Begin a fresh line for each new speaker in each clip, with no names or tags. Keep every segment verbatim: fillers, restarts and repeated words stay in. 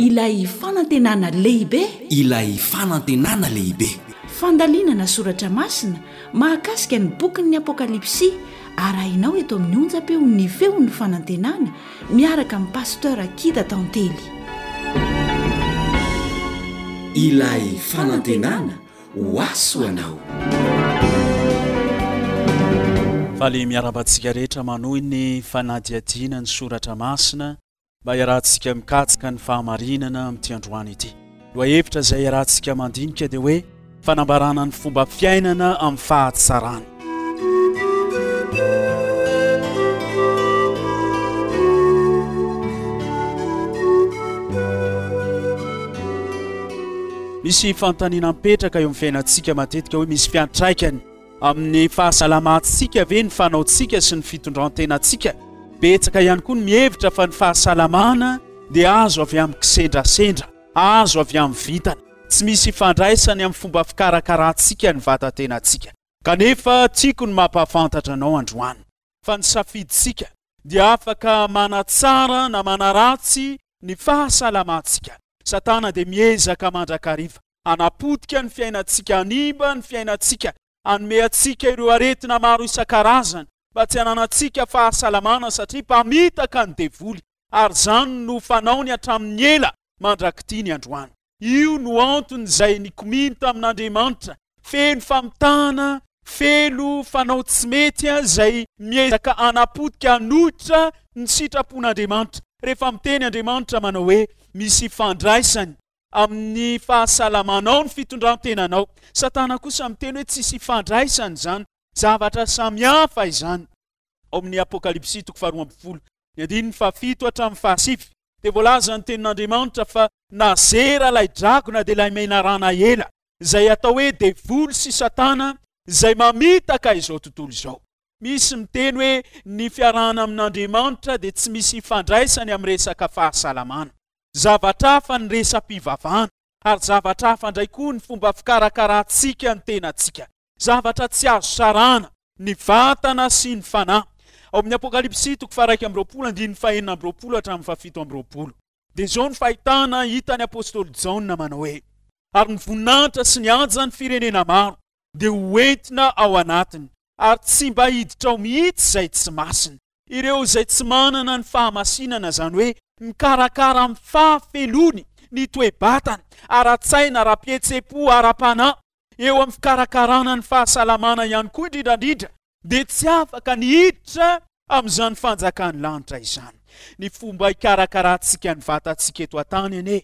Ilay fanantenana lehibe.
Ilay fanantenana lehibe.
Fandalinana soratra masina mahakasika ny bokin'ny Apokalypsy arahinao eto amin'ny onjam-peon'ny Feon'ny Fanantenana miaraka amin'i Pasteur Akida Tantely.
Ilay fanantenana ho ahy ho anao.
Faly miarahaba antsika rehetra manohy ny fanadihadiana ny soratra masina mba hiarahantsika mikatsaka ny fahamarinana amin'ity androany ity. Lohahevitra izay iarahantsika mandinika dia hoe fanambarana ny fomba fiainana amin'ny fahatsarana. Misy fanontaniana mipetraka eo amin'ny fiainantsika matetika hoe misy fiantraikany amin'ny fahasalamantsika ve ny fanaontsika sy ny fitondran-tenantsika? Betsaka ihany koa ny mihevitra fa ny fahasalamana dia azo avy amin'ny kisendrasendra, azo avy amin'ny vintana, tsy misy ifandraisany amin'ny fomba fikarakarantsika ny vatan-tenantsika. Kanefa tiako ny mampahafantatra anao androany fa ny safidintsika dia afaka manatsara na manaratsy ny fahasalamantsika. Satana dia miezaka mandrakariva hanapotika ny fiainantsika, hanimba ny fiainantsika, hanome antsika ireo aretina maro isan-karazany mba tsy hananantsika fahasalamana satria mpamitaka ny devoly, ary izany no fanaony hatramin'ny ela mandrak'ity ny androany. Io no antony izay nikomiany tamin'Andriamanitra, feno famitahana, feno fanao tsy mety izay miezaka hanapotika, hanohitra ny sitrapon'Andriamanitra. Rehefa miteny Andriamanitra manao hoe misy ifandraisany amin'ny fahasalamanao ny fitondran-tenanao, Satana kosa miteny hoe tsisy ifandraisany izany, zavatra samihafa izany. Ao amin'ny Apokalypsy toko faharoa ambin'ny folo, ny andininy fahafito hatramin'ny fahasivy, dia voalaza ny tenin'Andriamanitra fa nazera ilay dragona dia ilay menarana ela, izay atao hoe devoly sy Satana, izay mamitaka izao tontolo izao. Misy miteny hoe ny fiarahana amin'Andriamanitra dia tsy misy ifandraisany amin'ny resaka fahasalamana. Zavatra hafa ny resa-pivavahana, ary zavatra hafa indray koa ny fomba fikarakarantsika ny tenantsika. Zavatra tsy azo sarahana ny vatana sy ny fanahy. Ao amin'ny Apokalypsy toko faha-iraika amby roapolo andininy fahenina amby roapolo hatramin'ny fahafito amby roapolo dia izao ny fahitana hitan'ny apostoly Jaona manao hoe: ary ny voninahitra sy ny hajan'ny firenena maro dia ho entina ao anatiny, ary tsy mba hiditra ao mihitsy izay tsy masina. Ireo izay tsy manana ny fahamasinana, izany hoe mikarakara amin'ny fahafelony ny toe-batany, ara-tsaina, ara-pihetseham-po, ara-panahy, eo amin'ny fikarakarana ny fahasalamana ihany koa indrindra indrindra, dia tsy afaka ny hiditra amin'izany fanjakan'ny lanitra izany. Ny fomba hikarakarantsika ny vatantsika eto an-tany anie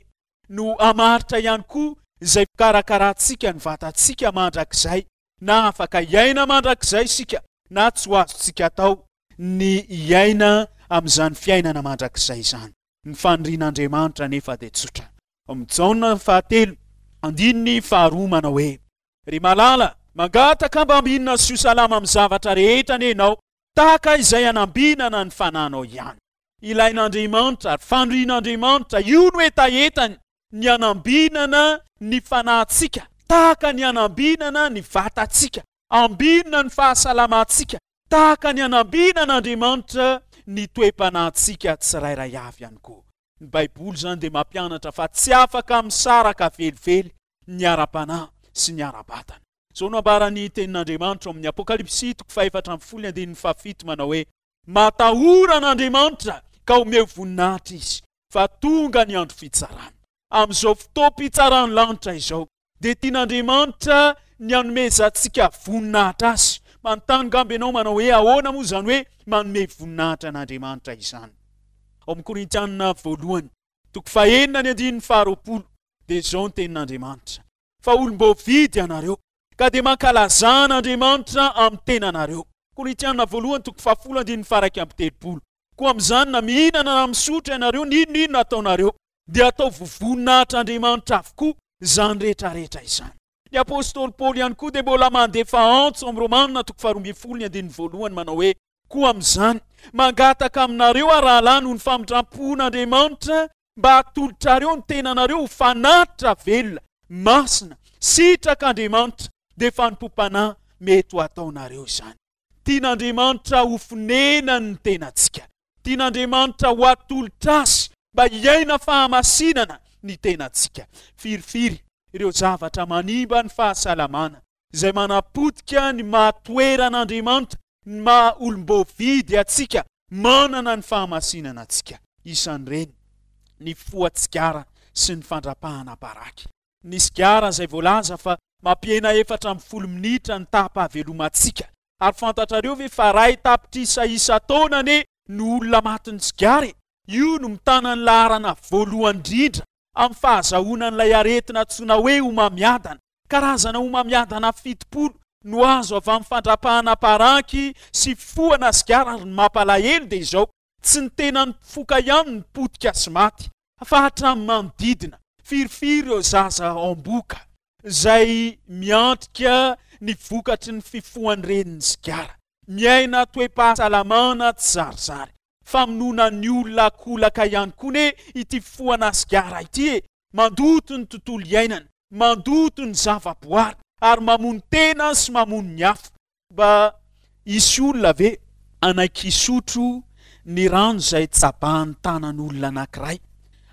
no hamaritra ihany koa izay fikarakarantsika ny vatantsika mandrakizay, na afaka hiaina mandrakizay isika na tsy ho azontsika atao ny hiaina amin'izany fiainana mandrakizay izany. Ny fanirian'Andriamanitra anefa dia tsotra. Ao amin'ny Jaona fahatelo, andininy faharoa manao hoe: Ry malala, mangataka mba ambinina sy ho salama amin'ny zavatra rehetra anie ianao, tahaka izay hanambinana ny fananao ihany. Ilain'Andriamanitra ary fanirian'Andriamanitra, io no hetahetany, ny hanambinana ny fanahintsika, tahaka ny hanambinana ny vatantsika, ambinina ny fahasalamantsika, tahaka ny hanambinan'Andriamanitra ny toe-panahintsika tsirairay avy ihany koa. Ny Baiboly izany dia mampianatra fa tsy afaka misaraka velively ny ara-panahy sy ny ara-batana. Izao no ambaran'ny tenin'Andriamanitra ao amin'ny Apokalypsy toko fahefatra ambin'ny folo ny andininy fahafito manao hoe: Matahora an'Andriamanitra ka omeo voninahitra Izy, fa tonga ny andro fitsarana. Amin'izao fotoam-pitsaran'ny lanitra izao, dia tian'Andriamanitra ny hanomezantsika voninahitra Azy. Manontany angamba ianao manao hoe ahoana moa izany hoe manome voninahitra an'Andriamanitra izany? Ao amin'ny Korintiana voalohany, toko fahenina ny andininy faharoapolo, dia izao ny tenin'Andriamanitra: Fa olom-boavidy ianareo, ka dia mankalazà an'Andriamanitra amin'ny tenanareo. Korintiana voalohany toko fahafolo andininy faha-iraika amby telopolo. Koa amin'izany na mihinana na misotro ianareo, n'inon'inona ataonareo, dia ataovy ho voninahitr'Andriamanitra avokoa izany rehetra rehetra izany. Ny apostoly Paoly ihany koa dia mbola mandefa antso amin'ny Romana toko faharoa ambin'ny folo ny andininy voalohany manao hoe: Koa amin'izany, mangataka aminareo aho rahalahy noho ny famindram-pon'Andriamanitra mba hatolotrareo ny tenanareo ho fanatitra velona, masina, sitrak'Andriamanitra, dia fanompoam-panahy mety ho ataonareo izany. Tian'Andriamanitra ho fonenany ny tenantsika. Tian'Andriamanitra ho atolotra Azy mba hiaina fahamasinana ny tenantsika. Firifiry ireo zavatra manimba ny fahasalamana izay manapotika ny maha-toeran'Andriamanitra, ny maha-olom-boavidy antsika, manana ny fahamasinana antsika. Isan'ireny ny foha-tsigara sy ny fandrapahana paraky. Ny sigara izay voalaza fa mampihena efatra ambin'ny folo minitra ny taham-pahavelomantsika. Ary fantatrareo ve fa iray tapitrisa isan-taona anie no olona matin'ny sigara e? Io no mitana ny laharana voalohany indrindra amin'ny fahazahoana an'ilay aretina antsoina hoe homamiadana. Karazana homamiadana fitopolo no azo avy amin'ny fandrapahana paraky sy fifohana sigara. Ary ny mampalahelo dia izao, tsy ny tenan'ny mpifoka ihany no potika sy maty, fa hatramin'ny manodidina. Firifiry ireo zaza amboka izay miantrika ny vokatry ny fifohan'ny renin'ny sigara, miaina toe-pahasalamana tsy zarizary. Famonoana ny olona kolaka ihany koa ne ity fifohana sigara ity e. Mandoto ny tontolo iainana, mandoto ny zavaboary, ary mamono tena sy mamono ny hafa. Mba hisy olona ve hanaiky hisotro ny rano izay tsabahan'ny tanan'olona anankiray?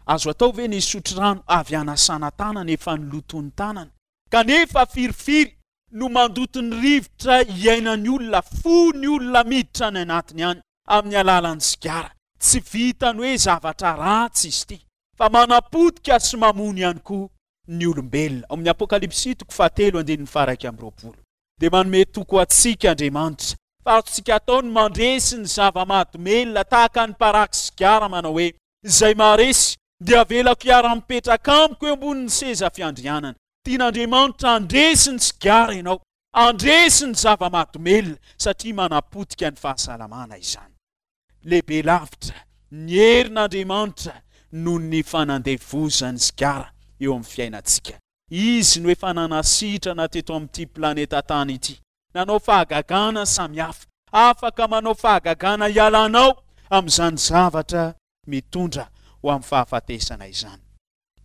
Azo atao ve ny hisotro rano avy hanasana tanana efa noloton'ny tanana? Kanefa firifiry no mandoto ny rivotra iainan'ny olona, fony olona miditra any anatiny any amin'ny alalan'ny sigara. Tsy vitany hoe zavatra ratsy izy ity, fa manapotika sy mamono ihany koa ny olombelona. Ao amin'ny Apokalypsy toko fahatelo andininy faha-iraika amby roapolo dia manome toko antsika Andriamanitra fa azontsika atao ny mandresy ny zava-mahadomelina tahaka ny paraky sigara, manao hoe izay maharesy dia avelako hiara-mipetraka amiko eo ambonin'ny seza fiandrianana. Tian'Andriamanitra handresy ny sigara ianao, handresy ny zava-mahadomelina, satria manapotika ny fahasalamana izany. Lehibe lavitra ny herin'Andriamanitra noho ny fanandevozan'ny sigara eo amin'ny fiainantsika. Izy no efa nanasitrana teto amin'ity planeta tany ity, nanao fahagagana samihafa. Afaka manao fahagagana hialanao amin'izany zavatra mitondra ho amin'ny fahafatesana izany.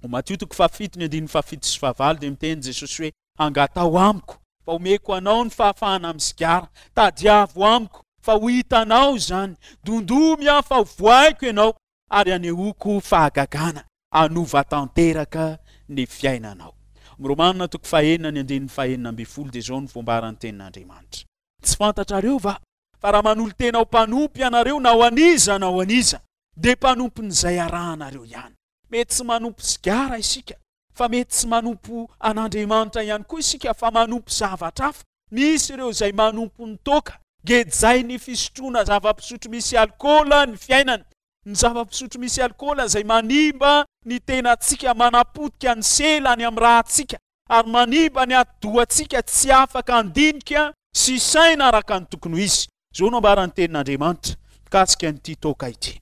Ao Matio toko fahafito ny andininy fahafito sy fahavalo dia miteny Jesosy hoe angatao amiko fa omeko anao ny fahafahana amin'ny sigara, tadiavo amiko fa ho hitanao izany, dondomy aho fa ho voaiko ianao ary anehoako fahagagana hanova tanteraka ny fiainanao. Romanina toko fahenina ny andininy fahenina ambin'ny folo dia izao no voambaran'ny tenin'Andriamanitra. Tsy fantatrareo va fa raha manolo-tena ho mpanompo ianareo na ho an'iza na ho an'iza dia mpanompon'izay arahanareo ihany. Mety tsy manompo sigara isika, fa mety tsy manompo an'Andriamanitra ihany koa isika, fa manompo zavatra hafa. Misy ireo izay manompo ny toaka, gejay ny fisotroana zava-pisotro misy alkaola ny fiainana. Ny zava-pisotro misy alkaola izay manimba ny tenantsika, manapotika ny sela any amin'ny rahantsika ary manimba ny atidohantsika tsy afaka handinika sy saina araka ny tokony ho izy. Izao no ambaran'ny tenin'Andriamanitra mikasika an'ity toaka ity.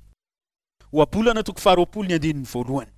Ohabolana toko faharoapolo ny andininy voalohany.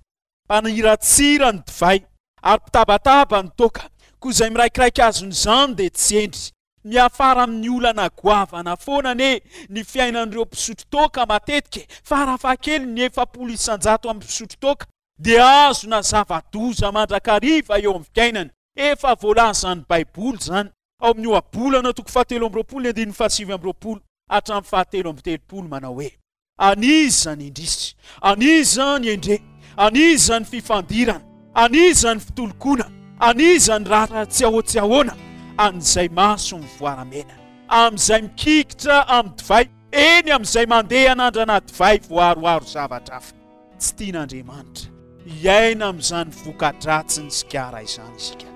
Mpaniratsira ny divay ary mpitabataba ny toaka, koa izay miraikiraiky azon'izany dia tsy hendry. Miafara amin'ny olana goavana foana anie ny fiainan'ireo mpisotro toaka matetika, farafahakeliny ny efapolo isan-jato amin'ny mpisotro toaka dia azona zava-doza mandrakariva eo amin'ny fiainany. Efa voalazan'ny Baiboly izany ao amin'ny Ohabolana toko fahatelo amby roapolo ny andininy fahasivy amby roapolo hatramin'ny fahatelo amby telopolo manao hoe an'iza ny indrisy, an'iza ny endre, an'iza ny fifandirana, an'iza ny fitolokoana, an'iza ny rara tsy ahoa tsy ahoana, an'izay maso mivoaramena, amin'izay mikikitra amin'ny divay, eny amin'izay mandeha anandrana divay voaroaro zavatra hafa. Tsy tian'Andriamanitra hiaina amin'izany voka-dratsy ny sigara izany isika.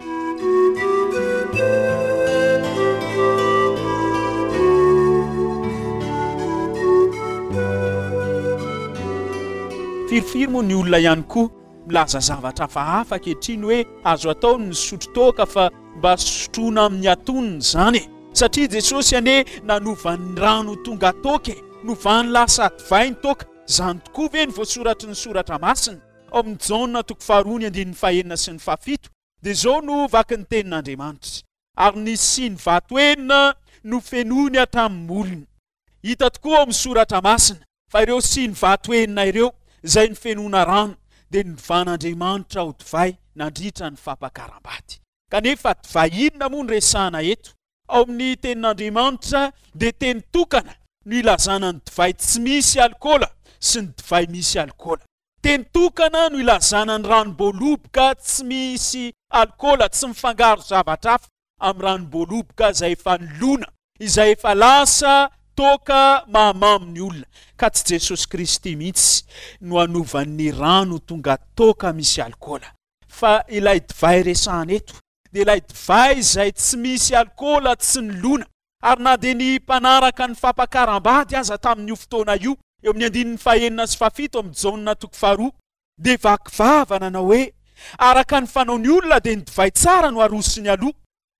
Firifiry moa ny olona ihany koa milaza zavatra hafahafa ankehitriny hoe azo atao ny misotro toaka fa mba sotroina amin'ny atonony izany e. Satria Jesosy anie nanova ny rano tonga toaka e, novany lasa divay ny toaka. Izany tokoa ve ny voasoratry ny soratra masina? Ao amin'ny Jaona toko faharoa ny andininy fahenina sy ny fahafito dia izao no vakin'ny tenin'Andriamanitra. Ary nisy siny vato enina nofenoiny hatramin'ny molony. Hita tokoa ao amin'ny soratra masina fa ireo siny vato enina ireo izay nofenoina rano dia novan'Andriamanitra ho divay nandritra ny fampakaram-bady. Kanefa divay inona moa no resahana eto? Ao amin'ny tenin'Andriamanitra dia teny tokana no ilazana ny divay tsy misy alkaola sy ny divay misy alkaola. Teny tokana no ilazana ny ranom-boaloboka tsy misy alkaola, tsy mifangaro zavatra hafa amin'ny ranom-boaloboka izay efa nilona, izay efa lasa toaka mahamamo ny olona. Ka tsy Jesosy Kristy mihitsy no hanovan'ny rano tonga toaka misy alkaola, fa ilay divay resahana eto dia ilay divay izay tsy misy alkaola, tsy nilona. Ary na dia ny mpanaraka ny fampakaram-bady aza tamin'io fotoana io, eo amin'ny andininy fahenina sy fahafito amin'ny Jaona toko faharoa, dia vaky vava nanao hoe: araka ny fanaon'ny olona dia ny divay tsara no arosony aloha,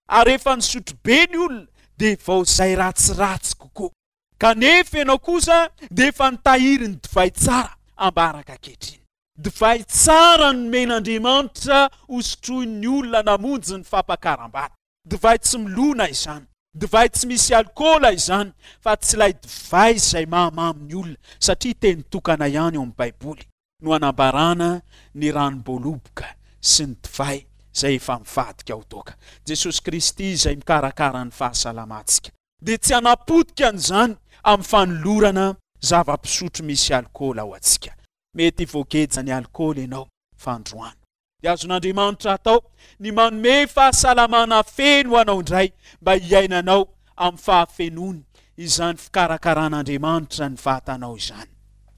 ary rehefa nisotro be ny olona dia vao izay ratsiratsy kokoa. Kanefa ianao kosa dia efa nitahiry ny divay tsara ambaraka ankehitriny. Divay tsara nomen'Andriamanitra hosotroin'ny olona namonjy ny fampakaram-bady. Divay tsy milona izany, divay tsy misy alkaola izany, fa tsy ilay divay izay mahamamo ny olona, satria teny tokana ihany ao amin'ny Baiboly no anambarana ny ranom-boaloboka sy ny divay izay efa mivadika ho toaka. Jesosy Kristy izay mikarakara ny fahasalamantsika dia tsy hanapotika an'izany amin'ny fanolorana zava-pisotro misy alkaola ho antsika. Mety voageja ny alkaola ianao fa androany dia azon'Andriamanitra atao ny manome fahasalamana feno ho anao indray mba hiainanao amin'ny fahafenoany izany fikarakaran'Andriamanitra ny vatanao izany.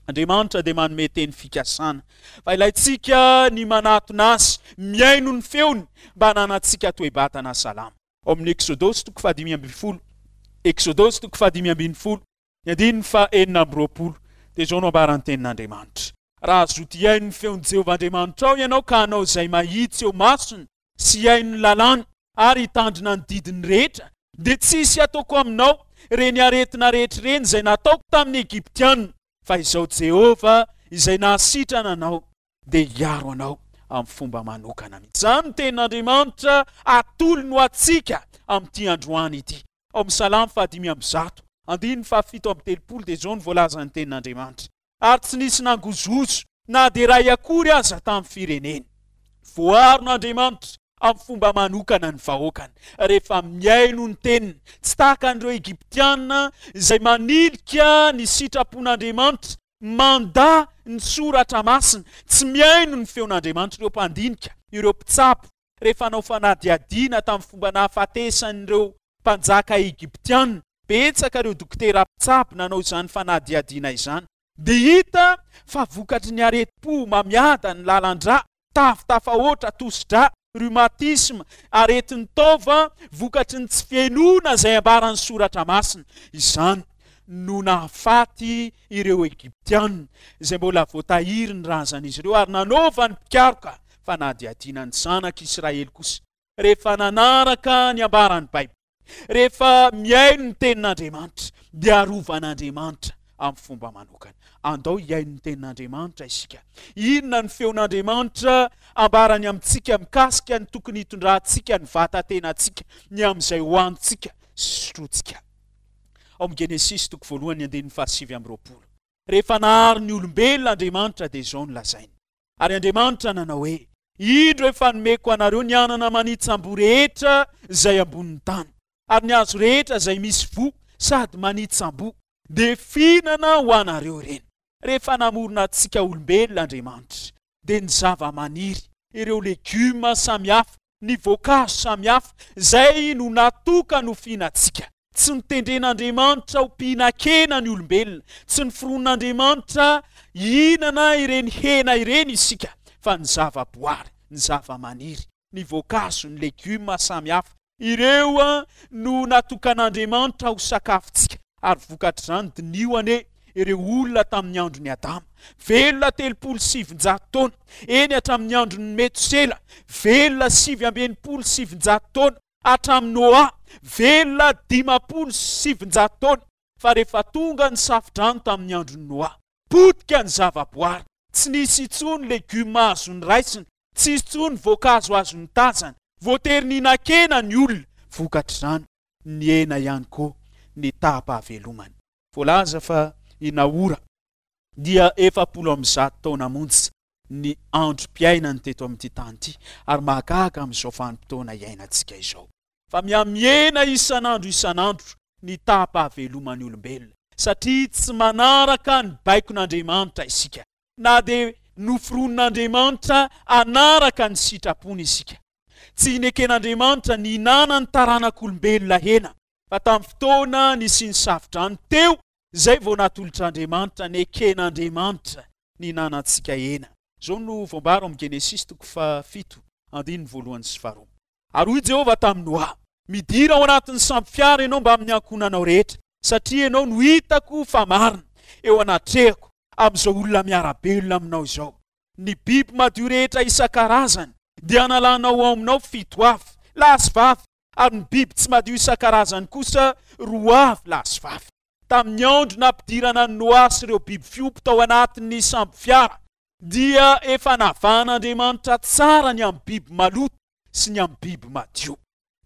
Andriamanitra dia manome teny fikasana fa ilaintsika ny manatona azy, mihaino ny feony mba hananantsika toe-batana salama. Ao amin'ny Eksodosy toko fahadimy ambin'ny folo, Eksodosy toko fahadimy ambin'ny folo, ny andininy fahenina amby roapolo, dia izao no ambaran'ny tenin'Andriamanitra: raha hazoto hihaino ny feon'i Jehovah Andriamanitrao ianao ka hanao izay mahitsy eo masony sy hihaino ny lalàny ary hitandrina ny didiny rehetra, dia tsy hisy hataoko aminao ireny aretina rehetra ireny izay nataoko tamin'ny Egyptiana, fa izao Jehovah izay nahasitrana anao dia hiaro anao amin'ny fomba manokana mihitsy. Izany no tenin'Andriamanitra atolony ho antsika amin'ity androany ity. Ao amin'ny Salamo fahadimy amby zato, andininy fahafito amby telopolo dia izao no voalazan'ny tenin'Andriamanitra: ary tsy nisy nangozohozo na dia iray akory aza tamin'ny fireneny. Voaron'Andriamanitra amin'ny fomba manokana ny vahoakany rehefa mihaino ny teniny, tsy tahaka an'ireo Egyptiana izay manilika ny sitrapon'Andriamanitra, mandà ny soratra masina, tsy mihaino ny feon'Andriamanitra. Ireo mpandinika, ireo mpitsabo, rehefa hanao fanadihadiana tamin'ny fomba nahafatesan'ireo mpanjaka Egyptiana, betsaka ireo dokotera mpitsabo nanao izany fanadihadiana izany, dia hita fa vokatry ny aretim-po mamiada ny lalan-drà, tavy tafahoatra, tosi-drà, rhumatisme, aretin'ny taova, vokatry ny tsy fihainoana izay ambaran'ny soratra masina. Izany no nahafaty ireo Egyptiana izay mbola voatahiry ny razan'izy ireo, ary nanaovan'ny mpikaroka fanadihadiana ny zanak'Israely kosa rehefa nanaraka ny ambaran'ny Baiboly, rehefa mihaino ny tenin'Andriamanitra, dia arovan'Andriamanitra amin'ny fomba manokana. Andao hihaino ny tenin'Andriamanitra isika. Inona ny feon'Andriamanitra ambarany amintsika mikasika ny tokony hitondrantsika ny vatatenantsika, ny amin'izay hohanintsika sy sotrointsika? Ao amin'ny Genesisy toko voalohany andininy fahasivy amby roapolo, rehefa nahary ny olombelona Andriamanitra dia izao no lazainy: ary Andriamanitra nanao hoe, indro efa nomeko anareo ny anana manitsambo rehetra izay ambonin'ny tany, ary ny hazo rehetra izay misy voa sady manitsambo, dia fihinana ho anareo ireny. Rehefa namorona antsika olombelona Andriamanitra, dia ny zava-maniry, ireo legioma samihafa, ny voankazo samihafa, izay no natokany ho fihinantsika. Tsy notendren'Andriamanitra ho mpihinan-kena ny olombelona, tsy noforonin'Andriamanitra hihinana ireny hena ireny isika, fa ny zava-boary, ny zava-maniry, ny voankazo, ny legioma samihafa, ireo no natokan'Andriamanitra ho sakafontsika. Ary vokatr'izany, diniho anie ireo olona tamin'ny andron'i Adama, velona telopolo sy sivinjato taona, eny hatramin'ny andron'ny Metosela, velona sivy amby enimpolo sy sivinjato taona, hatramin'ny Noa, velona dimampolo sy sivinjato taona. Fa rehefa tonga ny safodrano tamin'ny andron'i Noa, potika ny zavaboary, tsy nisy intsony legioma azo noraisina, tsy nisy intsony voankazo azo notazana, voatery nihinan-kena ny olona. Vokatr'izany, nihena ihany koa ny taham-pahavelomany. Voalaza fa i Nahora dia efapolo amby zato taona monja ny androm-piainany teto amin'ity tany ity, ary mahagaga amin'izao vanim-potoana iainantsika izao fa mihamihena isan'andro isan'andro ny taham-pahaveloman'ny olombelona, satria tsy manaraka ny baikon'Andriamanitra isika. Na dia Noforonin'Andriamanitra hanaraka ny sitrapony isika. Tsy neken'Andriamanitra ny hinanan'ny taranak'olombelona hena, fa tamin'ny fotoana nisian'ny safodrano teo izay vao natolotr'Andriamanitra, neken'Andriamanitra ny hinanantsika hena. Izao no voambara ao amin'ny Genesisy toko fahafito, andininy voalohany sy faharoa. Ary hoy Jehovah tamin'i Noa, midira ao anatin'ny sambo fiara ianao mbamin'ny ankohonanao rehetra, satria ianao no hitako fa marina eo anatrehako amin'izao olona miara-belona aminao izao. Ny biby madio rehetra isan-karazany dia analanao ao aminao fito avy, lahy sy vavy, ary ny biby tsy madio isan-karazany kosa roa avy, lahy sy vavy. Tamin'ny andro nampidirana an'i Noa sy ireo biby fiompy tao anatin'ny sambo fiara, dia efa navahan'Andriamanitra tsara ny amin'ny biby maloto sy ny amin'ny biby madio.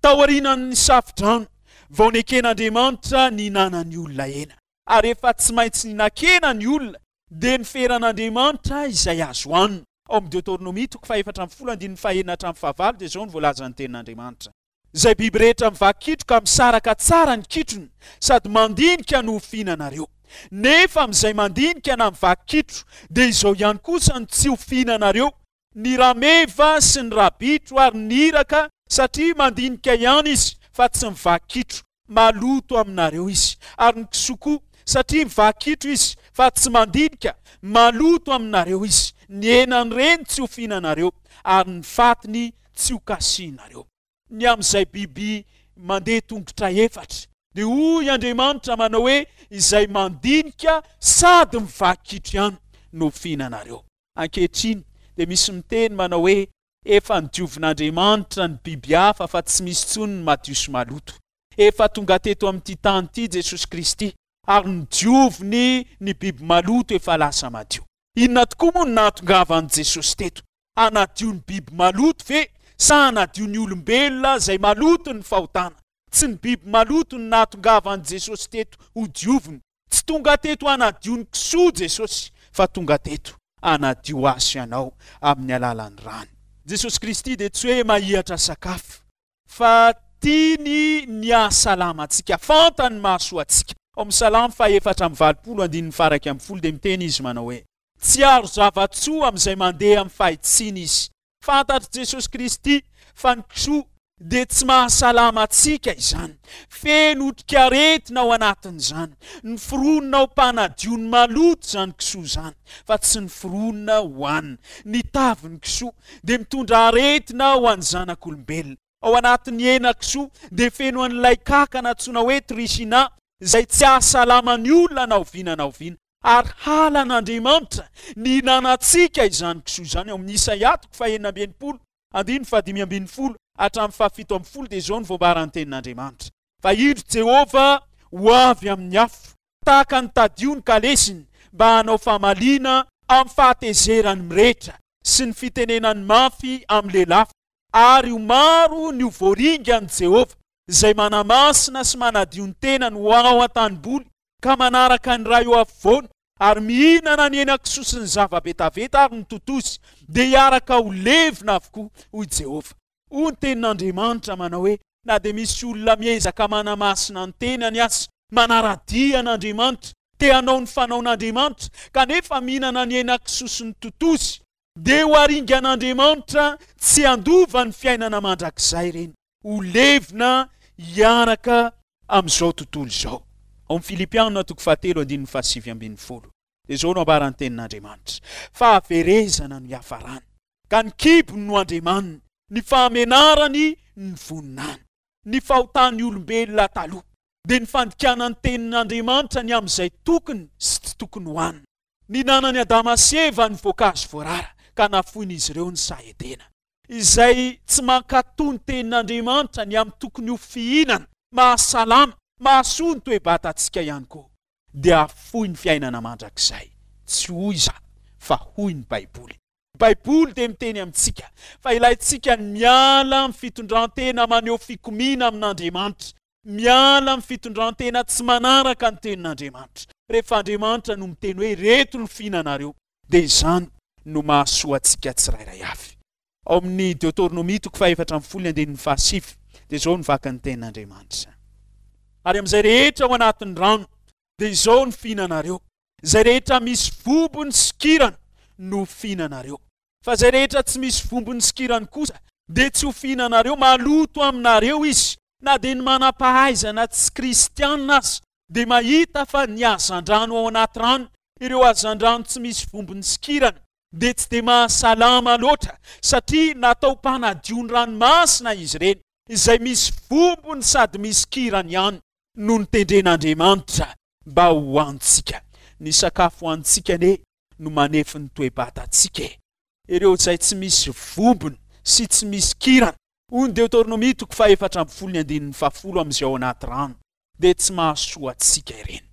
Taorian'ny safodrano, vao neken'Andriamanitra ny hinanan'ny olona hena. Ary efa tsy maintsy nihinan-kena ny olona, dia niferan'Andriamanitra izay azo hanina. Ao amin'ny Deoteronomia toko fahefatra ambin'ny folo andininy fahenina hatramin'ny fahavalo dia izao no voalazan'ny tenin'Andriamanitra. Izay biby rehetra mivaky kitro ka misaraka tsara ny kitrony sady mandinika no ho fihinanareo. Nefa amin'izay mandinika na mivaky kitro dia izao ihany kosa no tsy ho fihinanareo, ny rameva sy ny rabitro ary ny iraka, satria mandinika ihany izy fa tsy mivaky kitro, maloto aminareo izy. Ary ny kisoa koa, satria mivaky kitro izy fa tsy mandinika, maloto aminareo izy. Ny henan'ireny tsy ho fihinanareo, ary ny fatiny tsy ho kasihinareo. Ny amin'izay biby mandeha tongotra efatra, dia hoy Andriamanitra manao hoe, izay mandinika sady mivaky kitro ihany no fihinanareo. Ankehitriny dia misy miteny manao hoe, efa nodiovin'Andriamanitra ny biby hafa fa tsy misy intsony ny madio sy maloto. Efa tonga teto amin'ity tany ity Jesosy Kristy ary nodioviny ny biby maloto efa lasa madio. Inona tokoa moa no nahatongavan'i Jesosy teto? Hanadio ny biby maloto ve sa hanadio ny olombelona izay maloto ny fahotana? Tsy ny biby maloto no nahatongavan'i Jesosy teto hodioviny. Tsy tonga teto hanadio ny kisoa Jesosy fa tonga teto hanadio ahy sy ianao amin'ny alalan'ny rany. Jesosy Kristy dia tsy hoe mahihatra sakafo fa tiany ny hahasalama antsika, fantany ny mahasoa antsika. Ao amin'ny Salamo fahefatra amby valopolo andininy faha-iraika ambin'ny folo dia miteny izy manao hoe, tsy haro zava-tsoa amin'izay mandeha amin'ny fahitsiana izy. Fantatr'i Jesosy Kristy fa ny kisoa dia tsy mahasalama antsika izany. Feno otrikaretina ao anatin'izany. Noforonina ho mpanadio ny maloto izany kisoa izany, fa tsy noforonina hohanina. Ny tavin'ny kisoa dia mitondra aretina ho an'ny zanak'olombelona. Ao anatin'ny hena kisoa dia feno an'ilay kankana antsoina hoe trichina, izay tsy hahasalama ny olona na oviana na oviana. Ary halan'Andriamanitra ny hihinanantsika izany kisoa izany. Ao amin'ny Isaia toko fahenina amby enimpolo, andininy fahadimy ambin'ny folo hatramin'ny fahafito ambin'ny folo dia izao no voambaran'ny tenin'Andriamanitra. Fa indro Jehovah ho avy amin'ny afo, tahaka ny tadio ny kalesiny, mba hanao famaliana amin'ny fahatezerany mirehitra sy ny fitenenany mafy amin'ny lelafo, ary ho maro ny ho voaringan'i Jehovah, izay manamasina sy manadio ny tenany ho ao an-tanimboly ka manaraka ny ray eo afovoany ary mihinana ny henan-kisoa sy ny zava-betaveta ary ny totozy, dia hiaraka ho levona avokoa, hoy Jehovah. Hoy ny tenin'Andriamanitra manao hoe, na dia misy olona miezaka manamasina ny tenany aza, manara-dia an'Andriamanitra, te hanao ny fanaon'Andriamanitra, kanefa mihinana ny henan-kisoa sy ny totozy, dia ho aringan'Andriamanitra tsy handova ny fiainana mandrakizay ireny. Ho levona hiaraka amin'izao tontolo izao. Ao amin'ny Filipiana toko fahatelo andininy fahasivy ambin'ny folo dia izao no ambaran'ny tenin'Andriamanitra, fahaverezana no hiafarany, ka ny kibony no andriamaniny, ny fahamenarany ny voninahiny. Ny fahotan'ny olombelona taloha dia ny fandikana ny tenin'Andriamanitra ny amin'izay tokony sy tsy tokony hohanina. Nihinanan'i Adama sy Eva ny voankazo voarara ka nafoin'izy ireo ny saha Edena. Izay tsy mankatò ny tenin'Andriamanitra ny amin'ny tokony ho fihinana mahasalama, mahasoa ny toe-batantsika ihany koa, dia hafoy ny fiainana mandrakizay. Tsy hoy izaho, fa hoy ny Baiboly. Ny Baiboly dia miteny amintsika fa ilaintsika ny miala amin'ny fitondran-tena maneho fikomiana amin'Andriamanitra, miala amin'ny fitondran-tena tsy manaraka ny tenin'Andriamanitra. Rehefa Andriamanitra no miteny hoe ireto no fihinanareo, dia izany no mahasoa antsika tsirairay avy. Ao amin'ny Deoteronomia toko fahefatra ambin'ny folo ny andininy fahasivy dia izao no vakin'ny tenin'Andriamanitra. Ary amin'izay rehetra ao anatin'ny rano dia izao no fihinanareo, izay rehetra misy vobony sy kirana no fihinanareo. Fa izay rehetra tsy misy vombony sy kirany kosa dia tsy ho fihinanareo, maloto aminareo izy. Na dia ny manam-pahaizana tsy kristianina aza dia mahita fa ny hazandrano ao anaty rano, ireo hazandrano tsy misy vombony sy kirany, dia tsy dia mahasalama loatra satria natao mpanadio ny ranomasina izy ireny, izay misy vombony sady misy kirany ihany no notendren'Andriamanitra mba ho antsika. Ny sakafo ho antsika anie no manefy ny toe-batantsika e. Ireo izay tsy misy vombony sy tsy misy kirany, hoy ny Deoteronomia toko fahefatra ambin'ny folo ny andininy fahafolo amin'izay ao anaty rano, dia tsy mahasoa antsika ireny.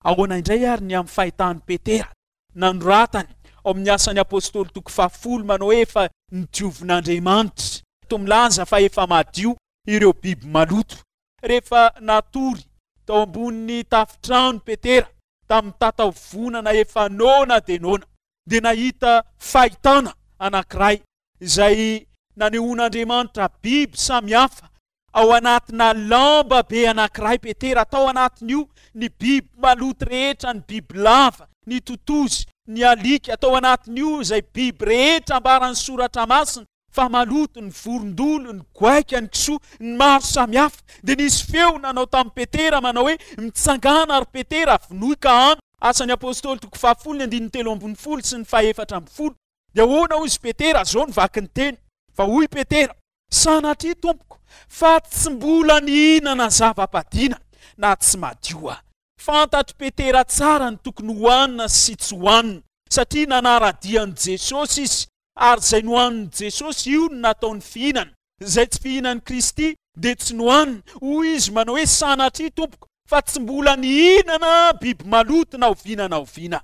Ahoana indray ary ny amin'ny fahitan'i Petera nanoratany ao amin'ny asan'ny Apôstôly toko fahafolo manao hoe efa nodiovin'Andriamanitra, toa milaza fa efa madio ireo biby maloto. Rehefa natory tao ambonin'ny tafitrano Petera tamin'ny tataovonana efa noana dia noana, dia nahita fahitana anankiray izay nanehoan'Andriamanitra biby samihafa ao anatina lamba be anankiray. Petera tao anatin'io ny biby maloto rehetra, ny biby lava, ny totozy, ny alika, tao anatin'io izay biby rehetra ambaran'ny soratra masina fa maloto, ny vorondolo, ny goaika, ny kisoa, ny maro samihafa. Dia nisy feo nanao tamin'i Petera manao hoe mitsangana ry Petera, vonoy ka hano. Asan'ny Apôstôly toko fahafolo ny andininy telo ambin'ny folo sy ny fahefatra ambin'ny folo. Dia ahoana hoy izy Petera, zao no vaky ny teny. Fa hoy Petera, sanatria tompoko fa tsy mbola nihinana zava-padiana na tsy madio aho. Fantatr'i Petera tsara ny tokony hohanina sy tsy hohanina satria nanara-dia an'i Jesosy izy, ary izay nohanin'i Jesosy io no nataony fihinana. Izay tsy fihinan'i Kristy dia tsy nohanina. Hoy izy manao hoe sanatria tompoko fa tsy mbola nihinana biby maloto na oviana na oviana.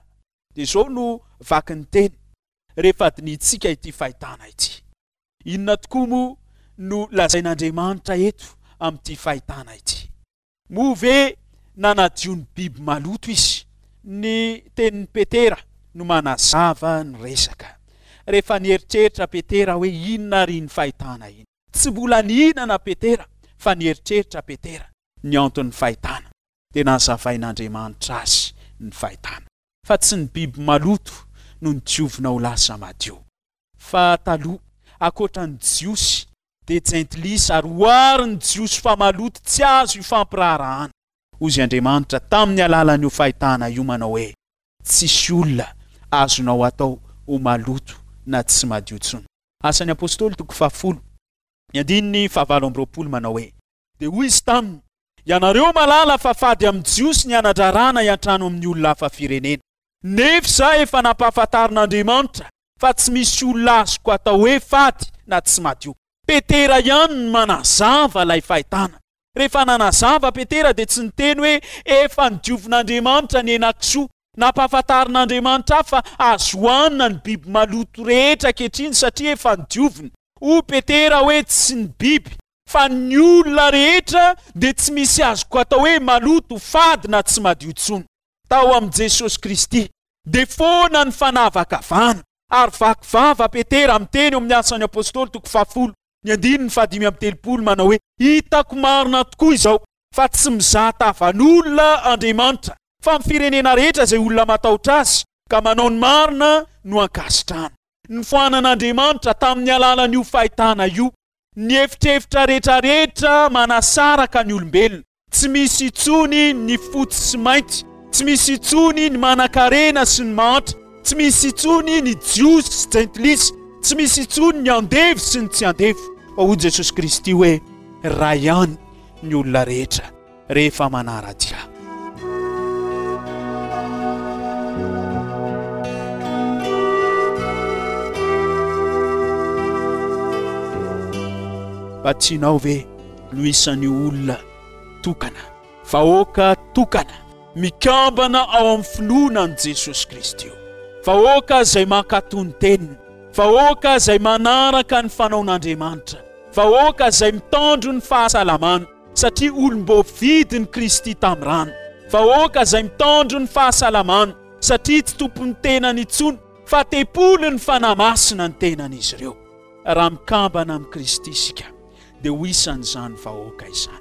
Dia izao no vaky ny teny rehefa adinitsika ity fahitana ity. Inona tokoa moa no lazain'Andriamanitra eto amin'ity fahitana ity? Moa ve nanadio ny biby maloto izy? Ny tenin'i Petera no manazava ny resaka. Rehefa nieritreritra Petera hoe inona ary iny fahitana iny? Tsy mbola nihinana Petera fa nieritreritra Petera ny anton'ny fahitana. Dia nazavain'Andriamanitra azy ny fahitana. Fa tsy ny biby maloto no nodiovina ho lasa madio. Fa taloha, ankoatra ny Jiosy, dia jentilisa ary oary ny Jiosy fa maloto tsy azo ifampiraharahana. Hoy Andriamanitra tamin'ny alalan'io fahitana io manao hoe tsisy olona azonao atao ho maloto na tsy madio intsony. Asan'ny Apôstôly toko fahafolo, ny andininy fahavalo amby roapolo manao hoe dia hoy izy taminy, ianareo malala fa fady amin'ny Jiosy ny anadrarana hiantrano amin'ny olona hafa firenena. Nefa izaho efa nampahafantarin'Andriamanitra fa tsy misy olona azoko atao hoe fady na tsy madio. Petera ihany no manazava ilay fahitana. Rehefa nanazava Petera dia tsy niteny hoe efa nodiovin'Andriamanitra ny henakisoa. Nampahafantarin'Andriamanitra fa azo hohanina ny biby maloto rehetra ankehitriny satria efa nodiovina. Hoy Petera hoe tsy ny biby fa ny olona rehetra dia tsy misy azoko atao hoe maloto, fady na tsy madio intsony. Tao amin'i Jesosy Kristy dia foana ny fanavakavana. Ary vaky vava Petera miteny eo amin'ny asan'ny Apôstôly toko fahafolo ny andininy fahadimy amby telopolo manao hoe hitako marina tokoa izao fa tsy mizaha tavan'olona Andriamanitra fa ny firenena rehetra izay olona matahotra azy ka manao ny marina no ankasitrahana. Ny foanan'Andriamanitra tamin'ny alalan'io fahitana io ny efitrefitra rehetrarehetra manasaraka ny olombelona. Tsy misy intsony ny fotsy sy mainty, tsy misy intsony ny manankarena sy ny mahantra, tsy misy intsony ny Jiosy sy jentilisa, tsy misy intsony ny andevo sy ny tsy andevo. Fa hoy Jesosy Kristy hoe ray ihany ny olona rehetra rehefa manara-dia. Mba tianao ve no isan'ny olona tokana, vahoaka tokana, mikambana ao amin'ny finoana an'i Jesosy Kristy io? Vahoaka izay mankatò ny teniny, vahoaka izay manaraka ny fanaon'Andriamanitra, vahoaka izay mitandro ny fahasalamana satria olom-boavidin'i Kristy tamin'ny rano, vahoaka izay mitandro ny fahasalamana satria tsy tompon'ny tenany intsony fa tempolin'ny Fanahy Masina ny tenan'izy ireo. Raha mikambana amin'i Kristy isika dia ho isan'izany vahoaka izany.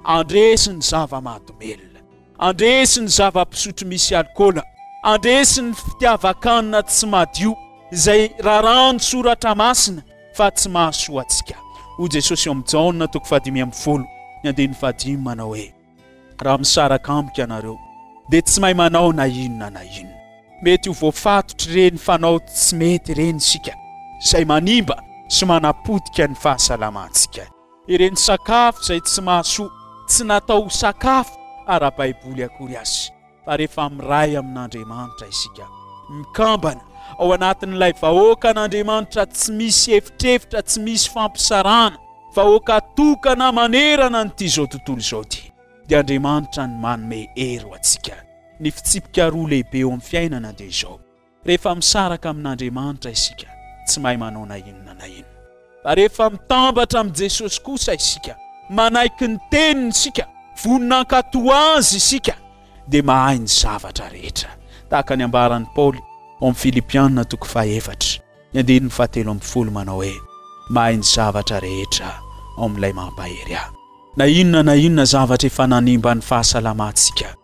Andresy ny zava-mahadomelina, andresy ny zava-pisotro misy alikaola, andresy ny fitiavan-kanina tsy madio, izay raràn'ny Soratra Masina fa tsy mahasoa antsika. Hoy Jesosy eo amin'ny Jaona toko fahadimy ambin'ny folo, ny andininy fahadimy manao hoe, Raha misaraka amiko ianareo, dia tsy mahay manao na inona na inona. Mety ho voafatotr'ireny fanao tsy mety ireny isika, izay manimba sy manapotika ny fahasalamantsika. Ireny sakafo izay tsy mahasoa, tsy natao ho sakafo ara-baiboly akory aza, fa rehefa miray amin'Andriamanitra isika, mikambana ao anatin'ilay vahoakan'Andriamanitra tsy misy efitrefitra, tsy misy fampisarahana, vahoaka tokana manerana an'ity izao tontolo izao ity, dia Andriamanitra no manome hery ho antsika. Ny fitsipika roa lehibe eo amin'ny fiainana dia izao, rehefa misaraka amin'Andriamanitra isika, tsy mahay manao na inona na inona. Fa rehefa mitambatra amin'i Jesosy kosa isika, manaiky ny teniny isika, vonona hankatò Azy isika, dia mahay ny zavatra rehetra. Tahaka ny ambaran'i Paoly ao amin'ny Filipiana toko fahefatra, ny andininy fahatelo ambin'ny folo manao hoe, Mahay ny zavatra rehetra ao amin'ilay mampahery ahy. Na inona na inona zavatra efa nanimba ny fahasalamantsika,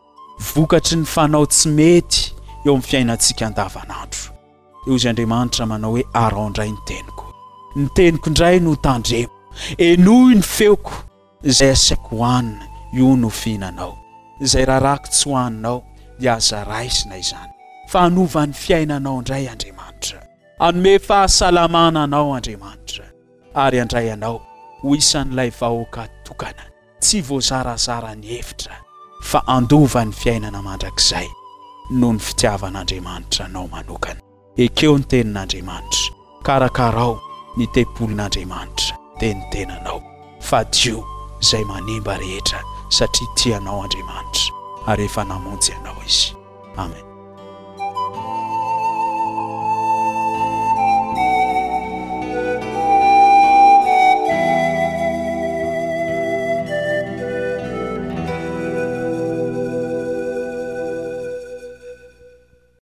vokatry ny fanao tsy mety eo amin'ny fiainantsika andavanandro. Dia hoy Andriamanitra manao hoe, Araho indray ny teniko. Ny teniko indray no tandremo. Henoy ny feoko. Izay asaiko hohanina, io no fihinanao. Izay rarako tsy hohaninao, dia aza raisina izany. Fa hanova ny fiainanao indray Andriamanitra. Hanome fahasalamana anao Andriamanitra. Ary handray anao ho isan'ilay vahoaka tokana. Tsy voazarazara ny hevitra fa handova ny fiainana mandrakizay noho ny fitiavan'Andriamanitra anao manokana. Ekeo ny tenin'Andriamanitra, karakarao ny tempolin'Andriamanitra dia ny tenanao. Fadio izay manimba rehetra satria tia anao Andriamanitra ary efa namonjy anao Izy. Amen.